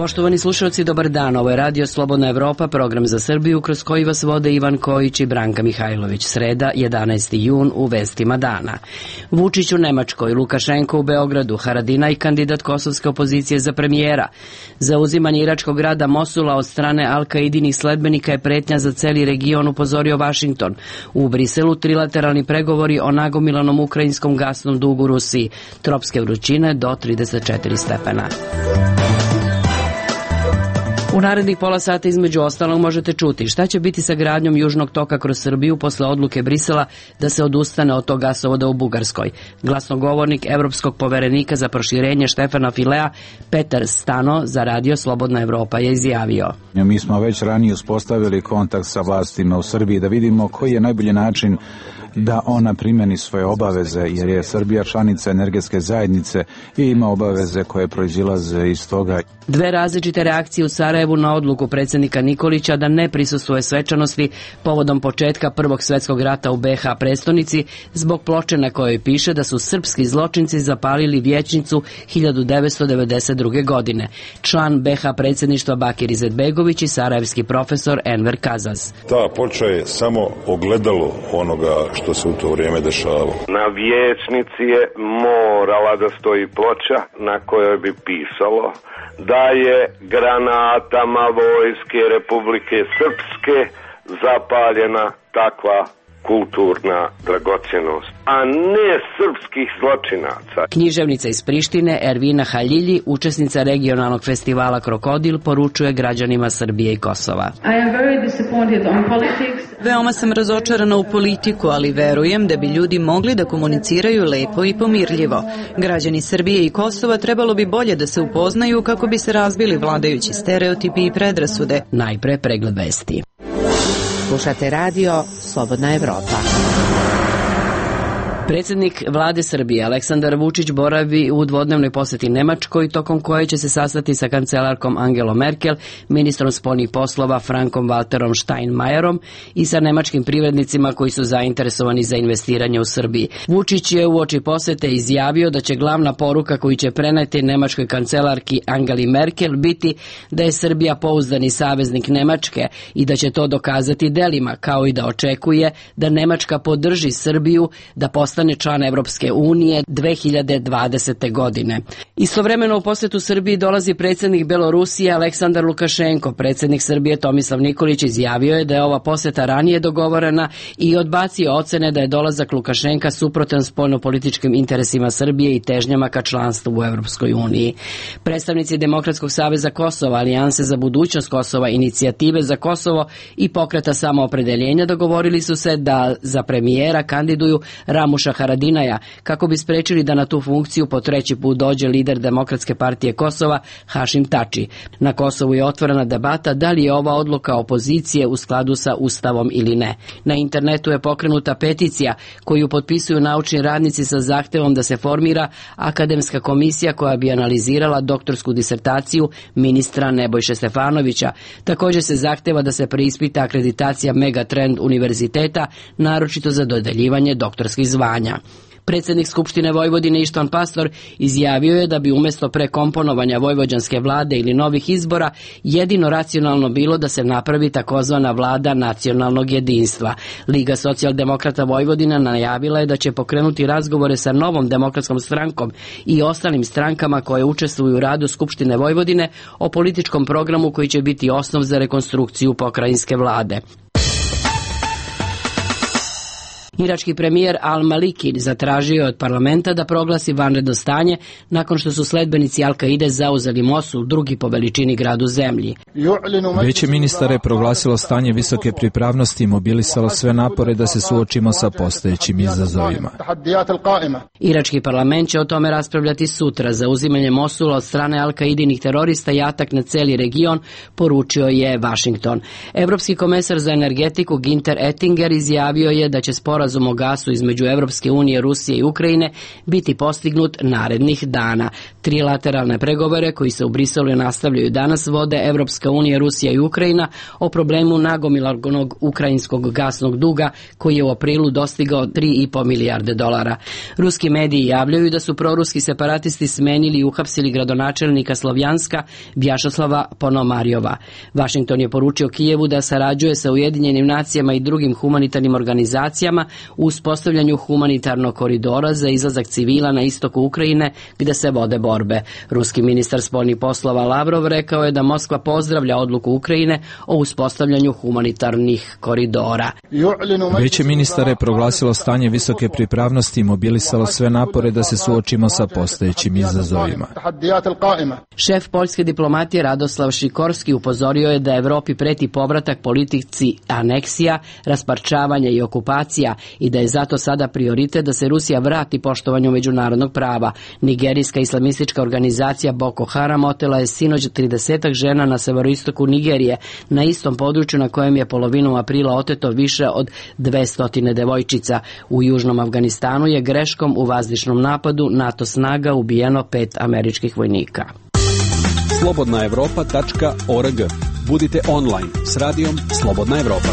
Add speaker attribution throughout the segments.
Speaker 1: Poštovani slušalci, dobar dan. Ovo je Radio Slobodna Evropa, program za Srbiju kroz koji vas vode Ivan Kojić i Branka Mihajlović. Sreda, 11. jun, u vestima dana. Vučić u Nemačkoj, Lukašenko u Beogradu, Haradinaj kandidat kosovske opozicije za premijera. Zauzimanje iračkog grada Mosula od strane Al-Kaidinih sledbenika je pretnja za celi region, upozorio Vašington. U Briselu trilateralni pregovori o nagomilanom ukrajinskom gasnom dugu Rusiji. Tropske vrućine do 34 stepena. U narednih pola sata između ostalog možete čuti šta će biti sa gradnjom Južnog toka kroz Srbiju posle odluke Brisela da se odustane od tog gasovoda u Bugarskoj. Glasnogovornik Evropskog poverenika za proširenje Štefana Filea, Petar Stano, za Radio Slobodna Evropa je izjavio:
Speaker 2: Mi smo već ranije uspostavili kontakt sa vlastima u Srbiji da vidimo koji je najbolji način da ona primeni svoje obaveze, jer je Srbija članica energetske zajednice i ima obaveze koje proizilaze iz toga.
Speaker 1: Dve različite reakcije u Sarajevu na odluku predsjednika Nikolića da ne prisustvuje svečanosti povodom početka Prvog svjetskog rata u BiH prestonici zbog ploče na kojoj piše da su srpski zločinci zapalili vijećnicu 1992. godine. Član BiH predsjedništva Bakir Izetbegović i sarajevski profesor Enver Kazaz.
Speaker 3: Ta ploča je samo ogledalo onoga što se u to vrijeme dešavalo.
Speaker 4: Na vijećnici je morala da stoji ploča na kojoj bi pisalo da je granatama vojske Republike Srpske zapaljena takva kulturna dragocjenost, a ne srpskih zločinaca.
Speaker 1: Književnica iz Prištine Ervina Haljilji, učesnica regionalnog festivala Krokodil, poručuje građanima Srbije i Kosova.
Speaker 5: Veoma sam razočarana u politiku, ali verujem da bi ljudi mogli da komuniciraju lepo i pomirljivo. Građani Srbije i Kosova trebalo bi bolje da se upoznaju kako bi se razbili vladajući stereotipi i predrasude.
Speaker 1: Najpre pregled vesti.
Speaker 6: Slušate Radio Slobodna Evropa.
Speaker 1: Predsjednik vlade Srbije Aleksandar Vučić boravi u dvodnevnoj posjeti Nemačkoj, tokom koje će se sastati sa kancelarkom Angelom Merkel, ministrom spoljnih poslova Frankom Walterom Steinmeierom i sa nemačkim privrednicima koji su zainteresovani za investiranje u Srbiji. Vučić je uoči posjete izjavio da će glavna poruka koju će preneti nemačkoj kancelarki Angeli Merkel biti da je Srbija pouzdani saveznik Nemačke i da će to dokazati delima, kao i da očekuje da Nemačka podrži Srbiju da postane član Evropske unije 2020. godine. Istovremeno u posjetu Srbiji dolazi predsjednik Belorusije Aleksandar Lukašenko. Predsjednik Srbije Tomislav Nikolić izjavio je da je ova posjeta ranije dogovorena i odbacio ocene da je dolazak Lukašenka suprotan spoljnopolitičkim interesima Srbije i težnjama ka članstvu u Evropskoj uniji. Predstavnici Demokratskog saveza Kosova, Alijanse za budućnost Kosova, Inicijative za Kosovo i Pokreta samoopredeljenja dogovorili su se da za premijera kandiduju Ramuša Haradinaja, kako bi sprečili da na tu funkciju po treći put dođe lider Demokratske partije Kosova Hašim Tači. Na Kosovu je otvorena debata da li je ova odluka opozicije u skladu sa Ustavom ili ne. Na internetu je pokrenuta peticija koju potpisuju naučni radnici sa zahtevom da se formira akademska komisija koja bi analizirala doktorsku disertaciju ministra Nebojše Stefanovića. Također se zahteva da se preispita akreditacija Megatrend univerziteta, naročito za dodeljivanje doktorskih zvanja. Predsjednik Skupštine Vojvodine Ištvan Pastor izjavio je da bi umjesto prekomponovanja vojvođanske vlade ili novih izbora jedino racionalno bilo da se napravi takozvana vlada nacionalnog jedinstva. Liga socijaldemokrata Vojvodina najavila je da će pokrenuti razgovore sa Novom demokratskom strankom i ostalim strankama koje učestvuju u radu Skupštine Vojvodine o političkom programu koji će biti osnov za rekonstrukciju pokrajinske vlade. Irački premijer Al-Maliki zatražio je od parlamenta da proglasi vanredno stanje nakon što su sledbenici Al-Kaide zauzeli Mosul, drugi po veličini grad u zemlji.
Speaker 7: Vijeće ministara je proglasilo stanje visoke pripravnosti i mobilisalo sve napore da se suočimo sa postojećim izazovima.
Speaker 1: Irački parlament će o tome raspravljati sutra. Zauzimanje Mosula od strane Al-Kaidinih terorista i atak na celi region, poručio je Washington. Evropski komesar za energetiku Ginter Ettinger izjavio je da će sporazum sporazum o gasu između Evropske unije, Rusije i Ukrajine biti postignut narednih dana. Trilateralne pregovore koji se u Briselu nastavljaju danas vode Evropska unija, Rusija i Ukrajina o problemu nagomilanog ukrajinskog gasnog duga koji je u aprilu dostigao $3,5 milijarde. Ruski mediji javljaju da su proruski separatisti smenili i uhapsili gradonačelnika Slovjanska Vjašeslava Ponomarjova. Vašington je poručio Kijevu da sarađuje sa Ujedinjenim nacijama i drugim humanitarnim organizacijama u uspostavljanju humanitarnog koridora za izlazak civila na istoku Ukrajine gde se vode borbe. Ruski ministar spoljnih poslova Lavrov rekao je da Moskva pozdravlja odluku Ukrajine o uspostavljanju humanitarnih koridora.
Speaker 7: Vijeće ministara je proglasilo stanje visoke pripravnosti i mobilisalo sve napore da se suočimo sa postojećim izazovima.
Speaker 1: Šef poljske diplomatije Radoslav Šikorski upozorio je da Evropi preti povratak politici aneksija, rasparčavanja i okupacija i da je zato sada prioritet da se Rusija vrati poštovanju međunarodnog prava. Nigerijska islamistička organizacija Boko Haram otela je sinoć 30 žena na severoistoku Nigerije, na istom području na kojem je polovinom aprila oteto više od 200 devojčica. U južnom Afganistanu je greškom u vazdušnom napadu NATO snaga ubijeno 5 američkih vojnika.
Speaker 8: Slobodnaevropa.org. Budite online s radijom Slobodna Evropa.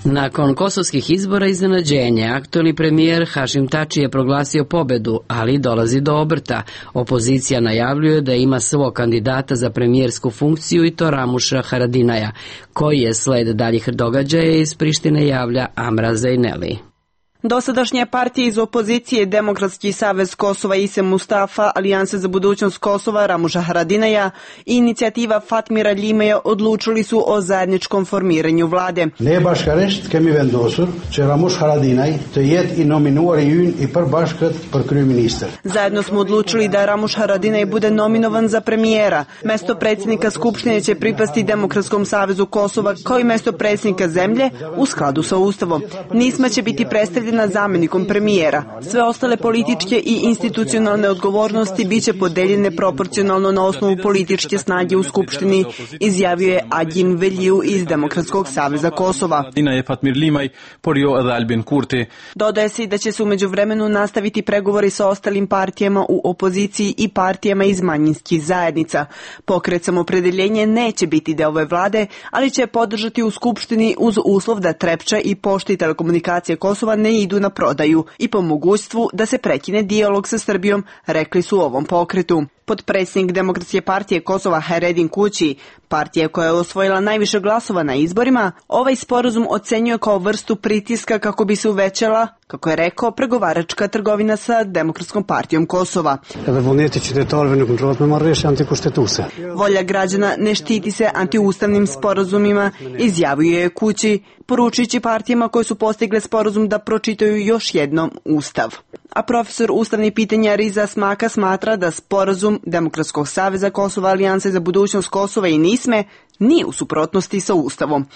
Speaker 1: Nakon kosovskih izbora iznenađenje, aktuelni premijer Hašim Tači je proglasio pobedu, ali dolazi do obrta. Opozicija najavljuje da ima svog kandidata za premijersku funkciju i to Ramuša Haradinaja. Koji je sled daljih događaja iz Prištine javlja Amra Zejneli.
Speaker 9: Dosadašnje partije iz opozicije Demokratski savez Kosova Ise Mustafa, Alijanse za budućnost Kosova Ramuša Haradinaja i inicijativa Fatmira Ljimeja odlučili su o zajedničkom formiranju vlade.
Speaker 10: Bashkërisht kemi vendosur që Ramush Haradinaj të jetë i nominuar i ynë i përbashkët për kryeministër.
Speaker 9: Zajedno smo odlučili da Ramuš Haradinaj bude nominovan za premijera. Mesto predsjednika Skupštine će pripasti Demokratskom savezu Kosova kao i mesto predsjednika zemlje u skladu sa Ustavom. Nisma će biti predstavljena zamjenikom premijera. Sve ostale političke i institucionalne odgovornosti biće podeljene proporcionalno na osnovu političke snage u Skupštini, izjavio je Agjin Veliju iz Demokratskog saveza Kosova. Dodaje se da će se u međuvremenu nastaviti pregovori sa ostalim partijama u opoziciji i partijama iz manjinskih zajednica. Pokret Samopredeljenje neće biti deo ove vlade, ali će podržati u Skupštini uz uslov da Trepča i Pošta i telekomunikacije Kosova ne idu na prodaju i po mogućstvu da se prekine dijalog sa Srbijom, rekli su u ovom pokretu. Potpredsjednik Demokratske partije Kosova Haredin Kući, partija koja je osvojila najviše glasova na izborima, ovaj sporazum ocenjuje kao vrstu pritiska kako bi se uvećala, kako je rekao, pregovaračka trgovina sa Demokratskom partijom Kosova. Volja građana ne štiti se antiustavnim sporazumima, izjavio je Kući, poručujući partijama koje su postigle sporazum da pročitaju još jednom Ustav. A profesor ustavnih pitanja Riza Smaka smatra da sporazum Demokratskog saveza Kosova, Alijanse za budućnost Kosova i NISME nije u suprotnosti sa Ustavom.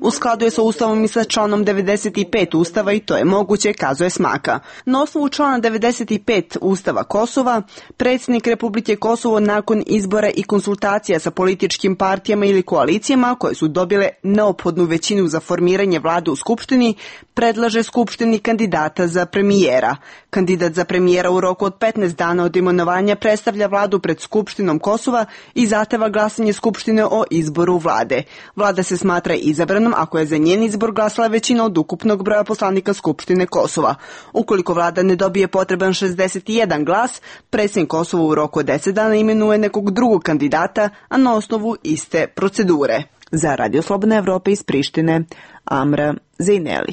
Speaker 9: U skladu je sa Ustavom i sa članom 95 Ustava i to je moguće, kazuje Smaka. Na osnovu člana 95 Ustava Kosova, predsjednik Republike Kosovo nakon izbora i konsultacija sa političkim partijama ili koalicijama koje su dobile neophodnu većinu za formiranje vlade u Skupštini, predlaže Skupštini kandidata za premijera. Kandidat za premijera u roku od 15 dana od imenovanja predstavlja vladu pred Skupštinom Kosova i zahteva glasanje Skupštine o izboru vlade. Vlada se smatra izabranom ako je za njen izbor glasala većina od ukupnog broja poslanika Skupštine Kosova. Ukoliko vlada ne dobije potreban 61 glas, predsjednik Kosova u roku od 10 dana imenuje nekog drugog kandidata, a na osnovu iste procedure. Za Radio Slobodna Evropa iz Prištine, Amra Zejneli.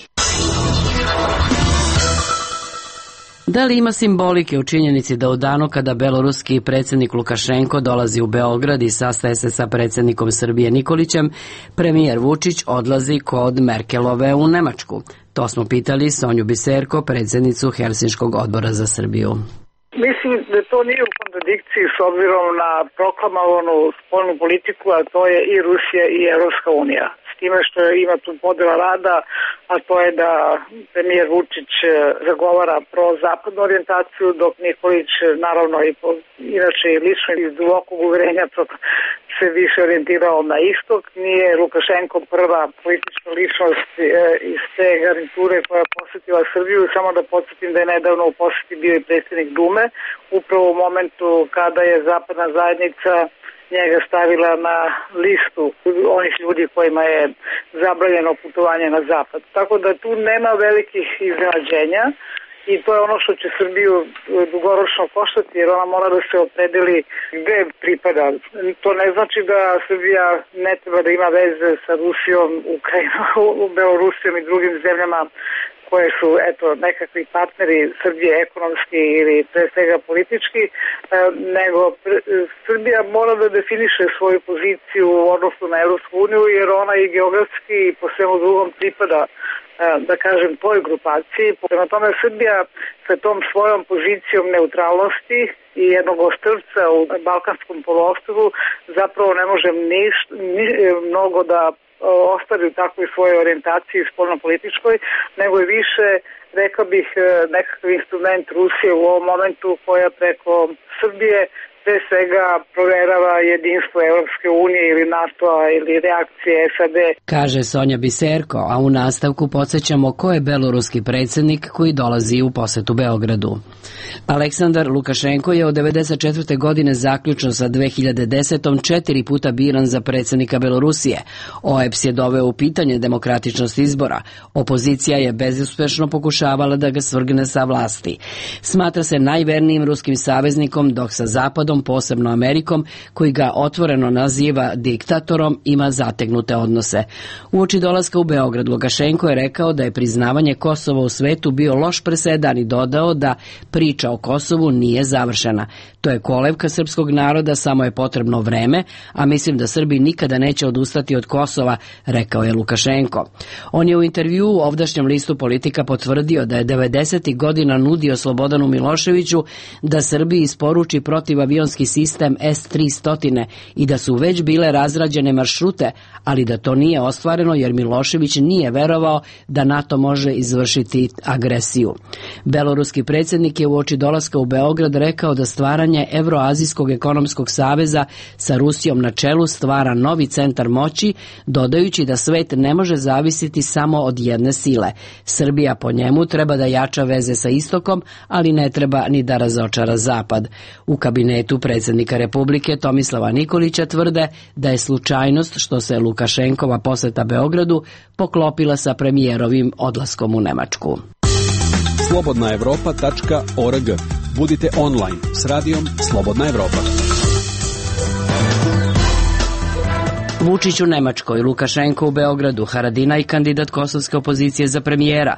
Speaker 1: Da li ima simbolike u činjenici da u danu kada beloruski predsjednik Lukašenko dolazi u Beograd i sastaje se sa predsjednikom Srbije Nikolićem, premijer Vučić odlazi kod Merkelove u Nemačku? To smo pitali Sonju Biserko, predsjednicu Helsinškog odbora za Srbiju.
Speaker 11: Mislim da to nije u kontradikciji s obzirom na proklamovanu spoljnu politiku, a to je i Rusija i Evropska unija. S time što ima tu podela rada, a to je da premijer Vučić zagovara pro-zapadnu orijentaciju, dok Nikolić naravno i inače i lično iz dubokog uverenja se više orijentirao na istok, nije Lukašenko prva politička ličnost iz te garniture koja je posjetila Srbiju, samo da podsjetim da je nedavno u posjeti bio i predsjednik Dume, upravo u momentu kada je zapadna zajednica njega stavila na listu onih ljudi kojima je zabranjeno putovanje na zapad. Tako da tu nema velikih iznenađenja i to je ono što će Srbiju dugoročno koštati, jer ona mora da se opredeli gde pripada. To ne znači da Srbija ne treba da ima veze sa Rusijom, Ukrajinom, Belorusijom i drugim zemljama koje su nekakvi partneri Srbije ekonomski ili pre svega politički, nego Srbija mora da definiše svoju poziciju u odnosu na Evropsku uniju, jer ona i geografski i po svemu drugom pripada, da kažem, toj grupaciji. Prema tome Srbija sa tom svojom pozicijom neutralnosti i jednog ostrvca u Balkanskom poluostrvu zapravo ne može mnogo da ostavi u takvoj svojoj orijentaciji spoljnopolitičkoj, nego je više, rekao bih, nekakav instrument Rusije u ovom momentu koja preko Srbije pre svega proverava jedinstvo Evropske unije ili NATO-a ili reakcije SAD.
Speaker 1: Kaže Sonja Biserko, a u nastavku podsjećamo ko je beloruski predsjednik koji dolazi u posetu Beogradu. Aleksandar Lukašenko je od 1994. godine zaključno sa 2010. 4 puta biran za predsjednika Belorusije. OEBS je doveo u pitanje demokratičnost izbora. Opozicija je bezuspešno pokušavala da ga svrgne sa vlasti. Smatra se najvernijim ruskim saveznikom, dok sa Zapadom, posebno Amerikom, koji ga otvoreno naziva diktatorom, ima zategnute odnose. Uoči dolaska u Beograd, Lukašenko je rekao da je priznavanje Kosova u svetu bio loš presedan i dodao da priča o Kosovu nije završena. To je kolevka srpskog naroda, samo je potrebno vreme, a mislim da Srbi nikada neće odustati od Kosova, rekao je Lukašenko. On je u intervjuu u ovdašnjem listu Politika potvrdio da je 90. godina nudio Slobodanu Miloševiću da Srbiji isporuči protivavionski sistem S-300 i da su već bile razrađene maršrute, ali da to nije ostvareno jer Milošević nije verovao da NATO može izvršiti agresiju. Beloruski predsjednik je uoči dolaska u Beograd rekao da stvaranje Evroazijskog ekonomskog saveza sa Rusijom na čelu stvara novi centar moći, dodajući da svet ne može zavisiti samo od jedne sile. Srbija po njemu treba da jača veze sa istokom, ali ne treba ni da razočara zapad. U kabinetu predsjednika Republike Tomislava Nikolića tvrde da je slučajnost što se Lukašenkova poseta Beogradu poklopila sa premijerovim odlaskom u Nemačku.
Speaker 8: Slobodnaevropa.org. Budite online s radijom Slobodna Evropa.
Speaker 1: Vučić u Nemačkoj, Lukašenko u Beogradu, Haradinaj kandidat kosovske opozicije za premijera.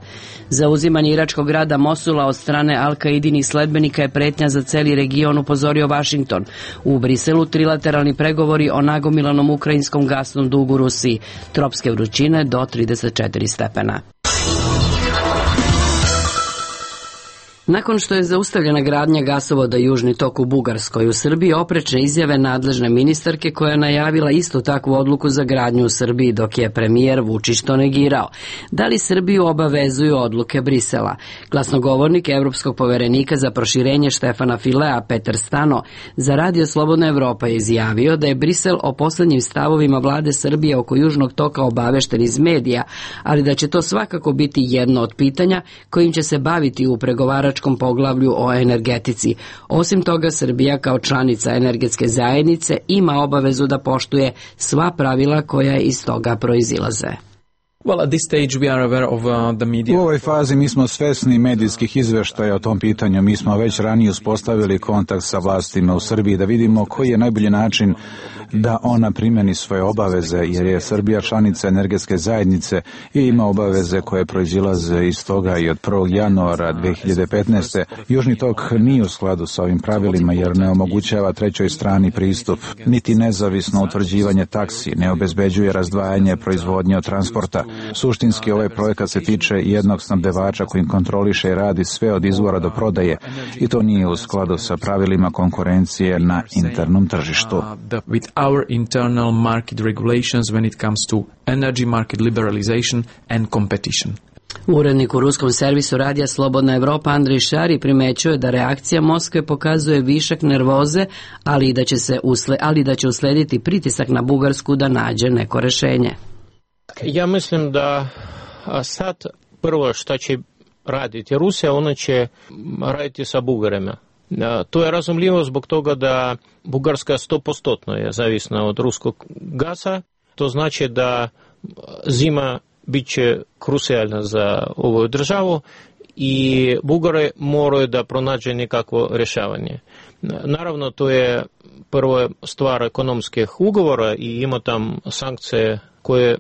Speaker 1: Zauzimanje iračkog grada Mosula od strane Al-Kaidinih sledbenika je pretnja za celi region, upozorio Vašington. U Briselu trilateralni pregovori o nagomilanom ukrajinskom gasnom dugu Rusiji. Tropske vrućine do 34 stepena. Nakon što je zaustavljena gradnja gasovoda Južni tok u Bugarskoj, u Srbiji oprečne izjave nadležne ministarke koja je najavila istu takvu odluku za gradnju u Srbiji, dok je premijer Vučić to negirao. Da li Srbiju obavezuju odluke Brisela? Glasnogovornik Evropskog poverenika za proširenje Štefana Filea, Petar Stano, za Radio Slobodna Evropa je izjavio da je Brisel o poslednjim stavovima vlade Srbije oko Južnog toka obavešten iz medija, ali da će to svakako biti jedno od pitanja kojim će se baviti u pregovaračkom poglavlju o energetici. Osim toga, Srbija kao članica energetske zajednice ima obavezu da poštuje sva pravila koja iz toga proizilaze.
Speaker 2: U ovoj fazi mi smo svesni medijskih izveštaja o tom pitanju. Mi smo već ranije uspostavili kontakt sa vlastima u Srbiji da vidimo koji je najbolji način da ona primeni svoje obaveze, jer je Srbija članica energetske zajednice i ima obaveze koje proizilaze iz toga i od 1. januara 2015. Južni tok nije u skladu sa ovim pravilima jer ne omogućava trećoj strani pristup, niti nezavisno utvrđivanje taksi, ne obezbeđuje razdvajanje proizvodnje od transporta. Suštinski ovaj projekat se tiče jednog snabdevača kojim kontroliše i radi sve od izvora do prodaje i to nije u skladu sa pravilima konkurencije na internom tržištu.
Speaker 12: Our internal market regulations when it comes to energy market liberalization and competition.
Speaker 1: Urednik u ruskom servisu radija Slobodna Evropa Andrej Šari primećuje da reakcija Moskve pokazuje višak nervoze, ali da će uslediti pritisak na Bugarsku da nađe neko rešenje.
Speaker 13: Ja mislim da sad prvo što će raditi Rusija, ona će raditi sa Bugarima. To je razumljivo zbog toga da Bugarska 100% je zavisna od ruskog gasa. To znači da zima bit će krucijalna za ovu državu i Bugari moraju da pronađe nekakvo rješavanje. Naravno, to je prvo stvar ekonomskih ugovora i ima tam sankcije koje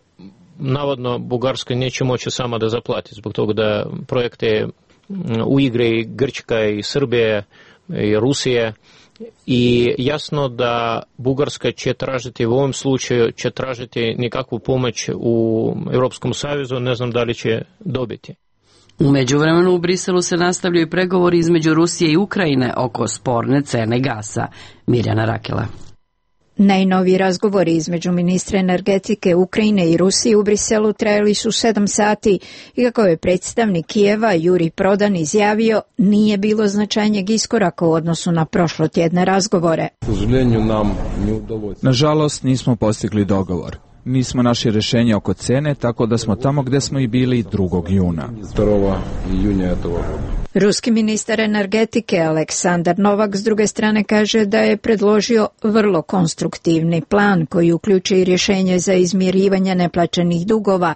Speaker 13: navodno Bugarska neće moći sama da zaplati, zbog toga da projekte u igre i Grčka i Srbije i Rusije. I jasno da Bugarska će tražiti, u ovom slučaju će tražiti nekakvu pomoć u Europskom savezu, ne znam da li će dobiti.
Speaker 1: U međuvremenu u Briselu se nastavljaju pregovori između Rusije i Ukrajine oko sporne cene gasa. Mirjana Rakela.
Speaker 14: Najnoviji razgovori između ministra energetike Ukrajine i Rusije u Briselu trajali su 7 sati i kako je predstavnik Kijeva Jurij Prodan izjavio, nije bilo značajnijeg iskoraka u odnosu na prošlotjedne razgovore.
Speaker 7: Nažalost, nismo postigli dogovor. Nismo našli rješenje oko cene, tako da smo tamo gdje smo i bili 2. juna.
Speaker 14: Ruski ministar energetike Aleksandar Novak s druge strane kaže da je predložio vrlo konstruktivni plan koji uključuje i rješenje za izmirivanje neplaćenih dugova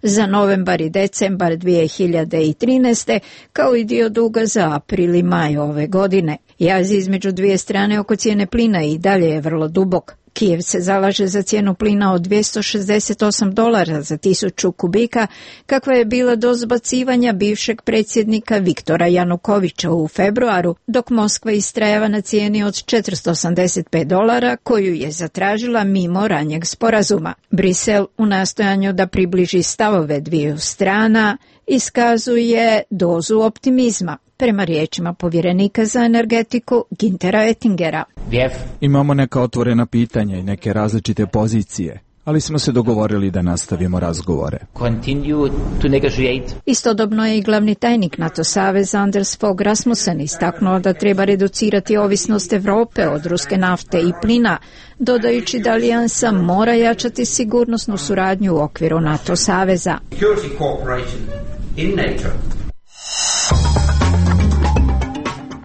Speaker 14: za novembar i decembar 2013. kao i dio duga za april i maj ove godine. Jaz između dvije strane oko cijene plina i dalje je vrlo dubok. Kijev se zalaže za cijenu plina od $268 za 1000 kubika, kakva je bila do zbacivanja bivšeg predsjednika Viktora Janukovića u februaru, dok Moskva istrajava na cijeni od $485 koju je zatražila mimo ranijeg sporazuma. Brisel u nastojanju da približi stavove dviju strana iskazuje dozu optimizma, prema riječima povjerenika za energetiku Güntera Oettingera.
Speaker 7: Imamo neka otvorena pitanja i neke različite pozicije, ali smo se dogovorili da nastavimo razgovore.
Speaker 14: Istodobno je i glavni tajnik NATO saveza Anders Fogh Rasmussen istaknuo da treba reducirati ovisnost Europe od ruske nafte i plina, dodajući da alijansa mora jačati sigurnosnu suradnju u okviru NATO saveza.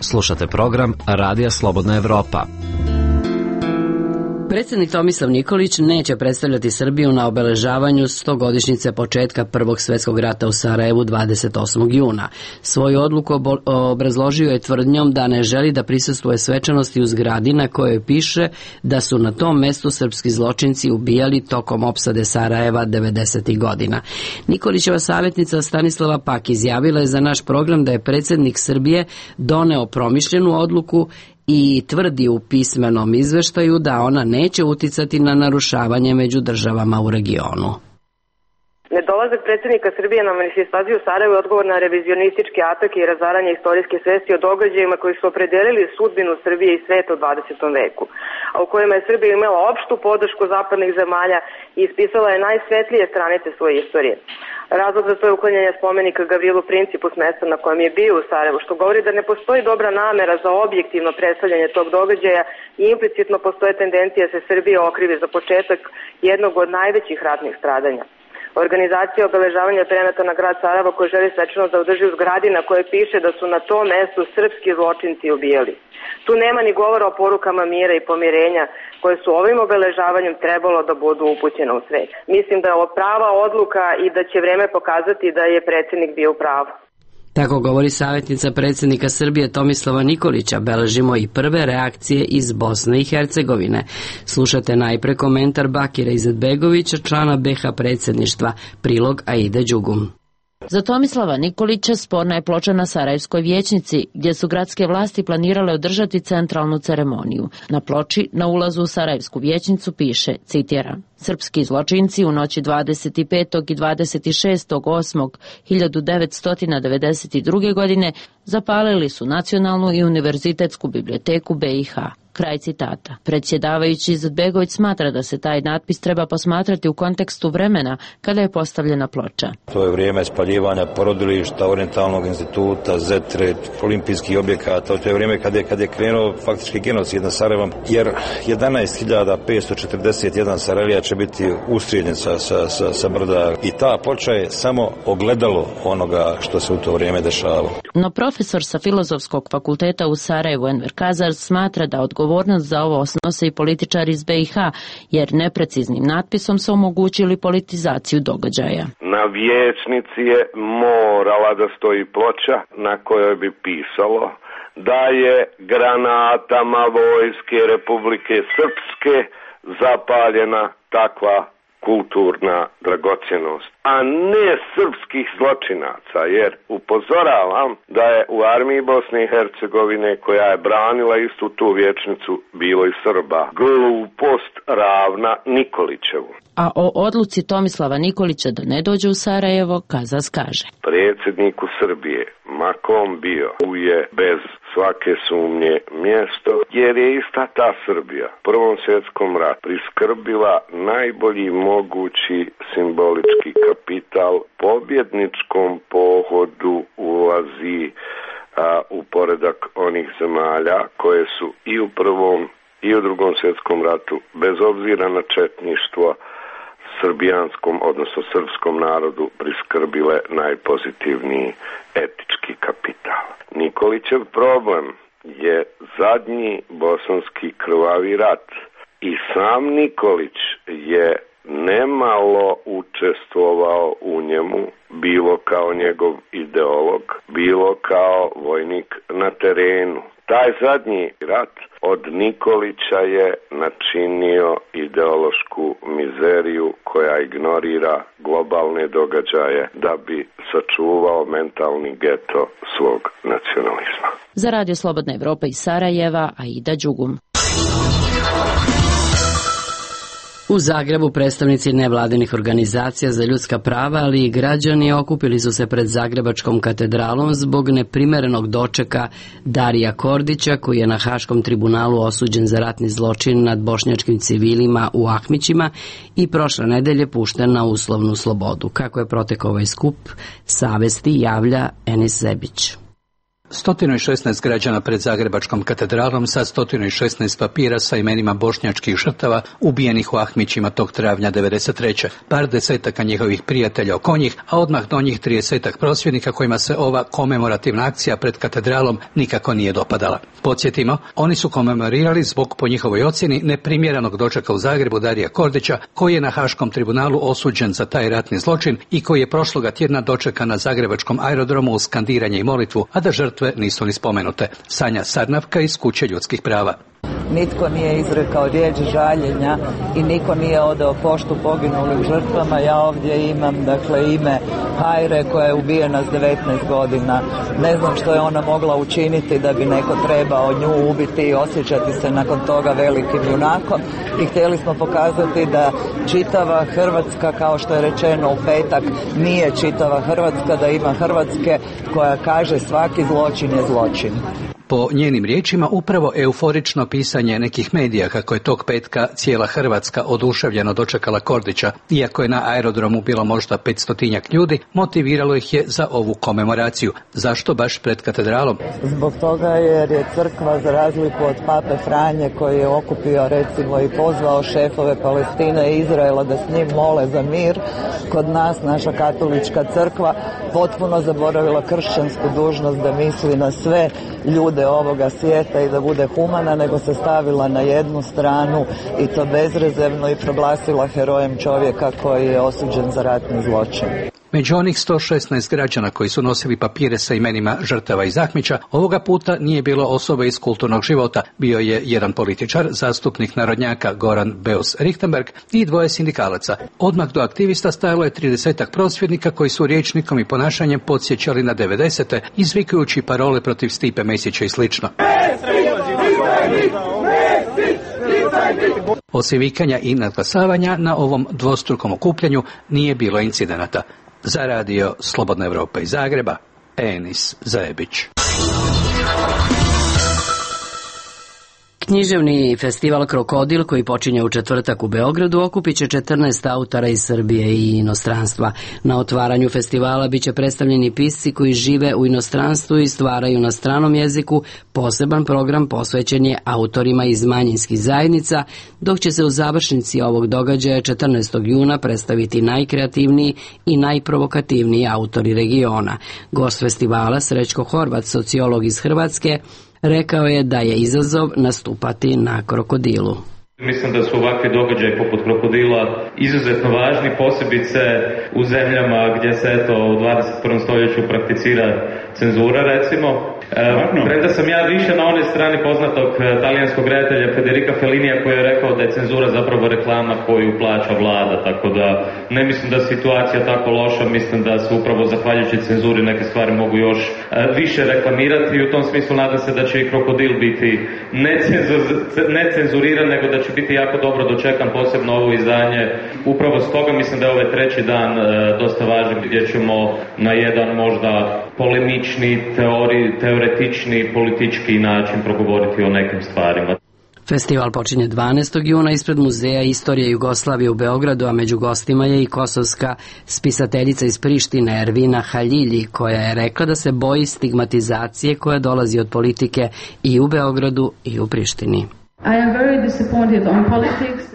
Speaker 15: Slušate program Radija Slobodna Evropa.
Speaker 1: Predsjednik Tomislav Nikolić neće predstavljati Srbiju na obeležavanju 100-godišnjice početka Prvog svjetskog rata u Sarajevu 28. juna. Svoju odluku obrazložio je tvrdnjom da ne želi da prisustvuje svečanosti u zgradi na kojoj piše da su na tom mestu srpski zločinci ubijali tokom opsade Sarajeva 90. godina. Nikolićeva savjetnica Stanislava Pak izjavila je za naš program da je predsjednik Srbije doneo promišljenu odluku i tvrdi u pismenom izveštaju da ona neće uticati na narušavanje među državama u regionu.
Speaker 16: Nedolazak predsjednika Srbije na manifestaciju u Sarajevu je odgovor na revizionistički atak i razaranje istorijske svesti o događajima koji su opredelili sudbinu Srbije i sveta u 20. veku, a u kojima je Srbija imala opštu podršku zapadnih zemalja i ispisala je najsvetlije stranice svoje istorije. Razlog za to je uklanjanje spomenika Gavrilu Principu s mesta na kojem je bio u Sarajevu, što govori da ne postoji dobra namera za objektivno predstavljanje tog događaja i implicitno postoje tendencija da se Srbija okrivi za početak jednog od najvećih ratnih stradanja. Organizacija obeležavanja prenata na grad Sarajevo koji želi svečano da održi u zgradi na kojoj piše da su na tom mestu srpski zločinci ubijali. Tu nema ni govora o porukama mira i pomirenja koje su ovim obeležavanjem trebalo da budu upućene u svet. Mislim da je ovo prava odluka i da će vreme pokazati da je predsjednik bio u pravu.
Speaker 1: Tako govori savjetnica predsjednika Srbije Tomislava Nikolića. Beležimo i prve reakcije iz Bosne i Hercegovine. Slušate najpre komentar Bakira Izetbegovića, člana BH predsjedništva, prilog Aide Đugum.
Speaker 17: Za Tomislava Nikolića sporna je ploča na Sarajevskoj vijećnici, gdje su gradske vlasti planirale održati centralnu ceremoniju. Na ploči na ulazu u Sarajevsku vijećnicu piše, citiram, Srpski zločinci u noći 25. i 26.8.1992. godine zapalili su Nacionalnu i Univerzitetsku biblioteku BiH. Kraj citata. Predsjedavajući Izetbegović smatra da se taj natpis treba posmatrati u kontekstu vremena kada je postavljena ploča.
Speaker 18: To je vrijeme spaljivanja porodilišta, Orientalnog instituta, Zetre, olimpijskih objekata. To je vrijeme kada je krenuo faktički genocid nad Sarajevom, jer 11.541 Sarajlija će biti ustrijeljen sa brda i ta ploča je samo ogledalo onoga što se u to vrijeme dešavalo.
Speaker 17: No profesor sa Filozofskog fakulteta u Sarajevu Enver Kazar smatra da odgovornost za ovo snose i političari iz BiH, jer nepreciznim natpisom su omogućili politizaciju događaja.
Speaker 4: Na vijećnici je morala da stoji ploča na kojoj bi pisalo da je granatama Vojske Republike Srpske zapaljena takva kulturna dragocjenost, a ne srpskih zločinaca, jer upozoravam da je u armiji Bosne i Hercegovine, koja je branila istu tu vijećnicu, bilo i Srba. Glupost ravna Nikolićevu.
Speaker 17: A o odluci Tomislava Nikolića da ne dođe u Sarajevo, Kazas kaže:
Speaker 4: predsjedniku Srbije, ma kom bio, je bez svake sumnje mjesto, jer je ista ta Srbija u Prvom svjetskom ratu priskrbila najbolji mogući simbolički kapital. Pobjedničkom pohodu ulazi u poredak onih zemalja koje su i u Prvom i u Drugom svjetskom ratu, bez obzira na četništvo, srbijanskom, odnosno srpskom narodu priskrbile najpozitivniji etički kapital. Nikolićev problem je zadnji bosanski krvavi rat i sam Nikolić je nemalo učestvovao u njemu, bilo kao njegov ideolog, bilo kao vojnik na terenu. Taj zadnji rat od Nikolića je načinio ideološku mizeriju koja ignorira globalne događaje da bi sačuvao mentalni geto svog nacionalizma.
Speaker 17: Za Radio Slobodna Evropa iz Sarajeva, Aida Đugum.
Speaker 1: U Zagrebu predstavnici nevladinih organizacija za ljudska prava, ali i građani okupili su se pred Zagrebačkom katedralom zbog neprimerenog dočeka Darija Kordića, koji je na Haškom tribunalu osuđen za ratni zločin nad bošnjačkim civilima u Ahmićima i prošle nedelje pušten na uslovnu slobodu. Kako je protekao ovaj skup, Savesti javlja Enis Zebić.
Speaker 19: 116 građana pred Zagrebačkom katedralom sa 116 papira sa imenima bošnjačkih žrtava ubijenih u Ahmićima tog travnja 1993. Par desetaka njihovih prijatelja oko njih, a odmah do njih 30 prosvjednika kojima se ova komemorativna akcija pred katedralom nikako nije dopadala. Podsjetimo, oni su komemorirali zbog, po njihovoj ocjeni, neprimjerenog dočeka u Zagrebu Darija Kordića, koji je na Haškom tribunalu osuđen za taj ratni zločin i koji je prošloga tjedna dočekan na Zagrebačkom aerodromu uz skandiranje i molitvu, a da žrtve nisu ni spomenute. Sanja Sarnavka iz Kuće ljudskih prava.
Speaker 20: Nitko nije izrekao riječ žaljenja i niko nije odao poštu poginulim žrtvama. Ja ovdje imam ime Hajre koja je ubijena s 19 godina. Ne znam što je ona mogla učiniti da bi neko trebao nju ubiti i osjećati se nakon toga velikim junakom. I htjeli smo pokazati da čitava Hrvatska, kao što je rečeno u petak, nije čitava Hrvatska, da ima Hrvatske koja kaže svaki zločin je zločin.
Speaker 19: Po njenim riječima, upravo euforično pisanje nekih medija kako je tog petka cijela Hrvatska oduševljeno dočekala Kordića, iako je na aerodromu bilo možda 500 ljudi, motiviralo ih je za ovu komemoraciju. Zašto baš pred katedralom?
Speaker 20: Zbog toga jer je crkva, za razliku od pape Franje, koji je okupio recimo i pozvao šefove Palestine i Izraela da s njim mole za mir, kod nas naša katolička crkva potpuno zaboravila kršćansku dužnost da misli na sve ljude ovoga svijeta i da bude humana, nego se stavila na jednu stranu i to bezrezervno i proglasila herojem čovjeka koji je osuđen za ratni zločin.
Speaker 19: Među onih 116 građana koji su nosili papire sa imenima žrtava iz Ahmića, ovoga puta nije bilo osobe iz kulturnog života. Bio je jedan političar, zastupnik narodnjaka Goran Beus Richtenberg i dvoje sindikalaca. Odmah do aktivista stajalo je 30 prosvjednika koji su rječnikom i ponašanjem podsjećali na 90. izvikujući parole protiv Stipe Mesića i slično. Mesić! Osim vikanja i nadglasavanja, na ovom dvostrukom okupljanju nije bilo incidenata. Za radio Slobodna Evropa iz Zagreba, Enis Zajebić.
Speaker 1: Književni festival Krokodil, koji počinje u četvrtak u Beogradu, okupit će 14 autora iz Srbije i inostranstva. Na otvaranju festivala biće predstavljeni pisci koji žive u inostranstvu i stvaraju na stranom jeziku. Poseban program posvećen je autorima iz manjinskih zajednica, dok će se u završnici ovog događaja 14. juna predstaviti najkreativniji i najprovokativniji autori regiona. Gost festivala, Srećko Horvat, sociolog iz Hrvatske, rekao je da je izazov nastupati na Krokodilu.
Speaker 21: Mislim da su ovakvi događaji poput Krokodila izuzetno važni, posebice u zemljama gdje se u 21. stoljeću prakticira cenzura, recimo. Premda sam ja više na onoj strani poznatog talijanskog redatelja Federica Fellinija koji je rekao da je cenzura zapravo reklama koju plaća vlada, tako da ne mislim da je situacija tako loša, mislim da se upravo zahvaljujući cenzuri neke stvari mogu još više reklamirati i u tom smislu nadam se da će i Krokodil biti ne cenzuriran, nego da će biti jako dobro dočekan, posebno ovo izdanje. Upravo stoga mislim da je ovaj treći dan dosta važan gdje ćemo na jedan možda polemični, teoretični, politički način progovoriti o nekim stvarima.
Speaker 1: Festival počinje 12. juna ispred Muzeja istorije Jugoslavije u Beogradu, a među gostima je i kosovska spisateljica iz Prištine Ervina Haljilji, koja je rekla da se boji stigmatizacije koja dolazi od politike i u Beogradu i u Prištini.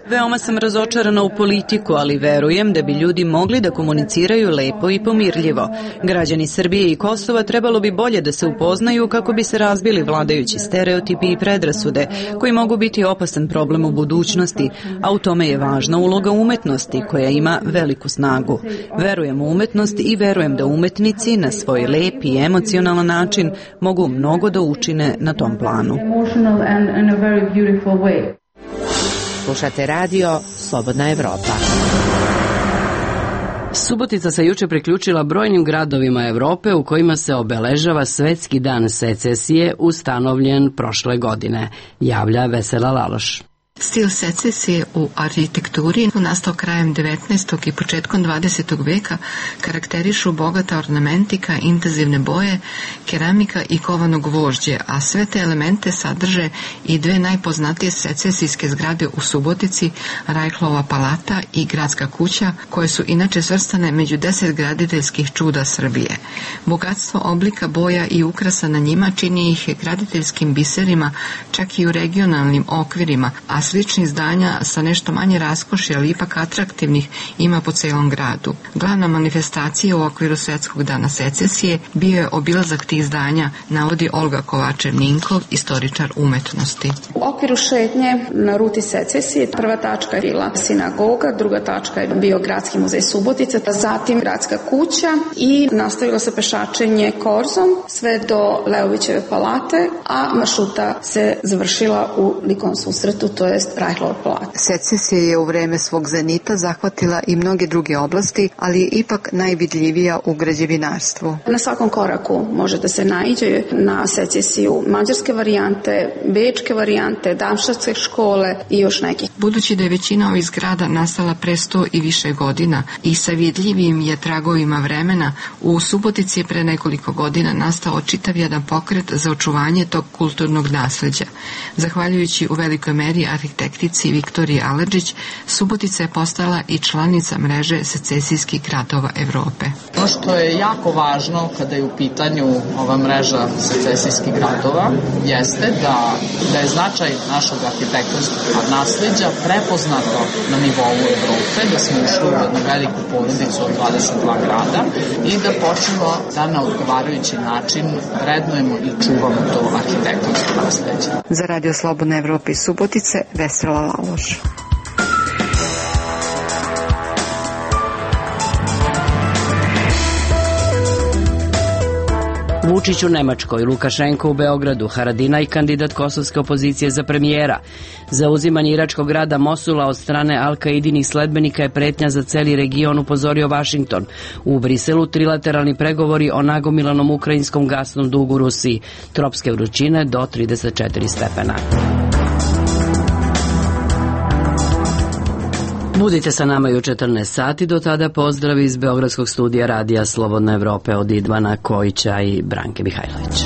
Speaker 5: Veoma sam razočarana u politiku, ali verujem da bi ljudi mogli da komuniciraju lepo i pomirljivo. Građani Srbije i Kosova trebalo bi bolje da se upoznaju kako bi se razbili vladajući stereotipi i predrasude, koji mogu biti opasan problem u budućnosti, a u tome je važna uloga umetnosti koja ima veliku snagu. Verujem u umetnost i verujem da umetnici na svoj lep i emocionalan način mogu mnogo da učine na tom planu.
Speaker 6: Slušate radio Slobodna Evropa.
Speaker 1: Subotica se juče priključila brojnim gradovima Evrope u kojima se obeležava Svetski dan secesije ustanovljen prošle godine, javlja Vesela Laloš.
Speaker 22: Stil secesije u arhitekturi nastao krajem 19. i početkom 20. veka karakterišu bogata ornamentika, intenzivne boje, keramika i kovano gvožđe, a sve te elemente sadrže i dve najpoznatije secesijske zgrade u Subotici, Rajhlova palata i Gradska kuća, koje su inače svrstane među 10 graditeljskih čuda Srbije. Bogatstvo oblika, boja i ukrasa na njima čini ih graditeljskim biserima, čak i u regionalnim okvirima, a sličnih zdanja sa nešto manje raskoši, ali ipak atraktivnih, ima po celom gradu. Glavna manifestacija u okviru Svetskog dana secesije bio je obilazak tih zdanja, navodi Olga Kovačev-Ninkov, istoričar umetnosti.
Speaker 23: U okviru šetnje na ruti secesije prva tačka je bila sinagoga, druga tačka je bio Gradski muzej Subotica, zatim Gradska kuća i nastavilo se pešačenje korzom sve do Leovićeve palate, a maršruta se završila u likom susretu, to je Rajhlova palata.
Speaker 22: Secesija je u vreme svog zenita zahvatila i mnoge druge oblasti, ali je ipak najvidljivija u građevinarstvu.
Speaker 23: Na svakom koraku može da se naiđe na secesiju mađarske varijante, bečke varijante, damštatske škole i još nekih.
Speaker 22: Budući da je većina ovih zgrada nastala pre 100 i više godina i sa vidljivim je tragovima vremena, u Subotici je pre nekoliko godina nastao čitav jedan pokret za očuvanje tog kulturnog nasleđa. Zahvaljujući u velikoj meri arhitektici Viktoriji Aladžić, Subotica je postala i članica mreže secesijskih gradova Evrope.
Speaker 24: Ono što je jako važno kada je u pitanju ova mreža secesijskih gradova jeste da je značaj našeg arhitektonskog nasleđa prepoznato na nivou Evrope, da smo ušli u jednu veliku porodicu od 22 grada i da počnemo da na odgovarajući način vrednujemo i čuvamo to arhitektonsko nasleđe.
Speaker 22: Za Radio Slobodna Evropa iz Subotice, Vesela Laloš.
Speaker 1: Vučić u Nemačkoj, Lukašenko u Beogradu, Haradinaj kandidat kosovske opozicije za premijera. Zauzimanje iračkog grada Mosula od strane Al-Kaidinih sledbenika je pretnja za celi region, upozorio Vašington. U Briselu trilateralni pregovori o nagomilanom ukrajinskom gasnom dugu Rusiji. Tropske vrućine do 34 stepena. Budite sa nama i u 14 sati, do tada pozdrav iz Beogradskog studija Radija Slobodna Evropa od Idvana Kojića i Branke Mihajlović.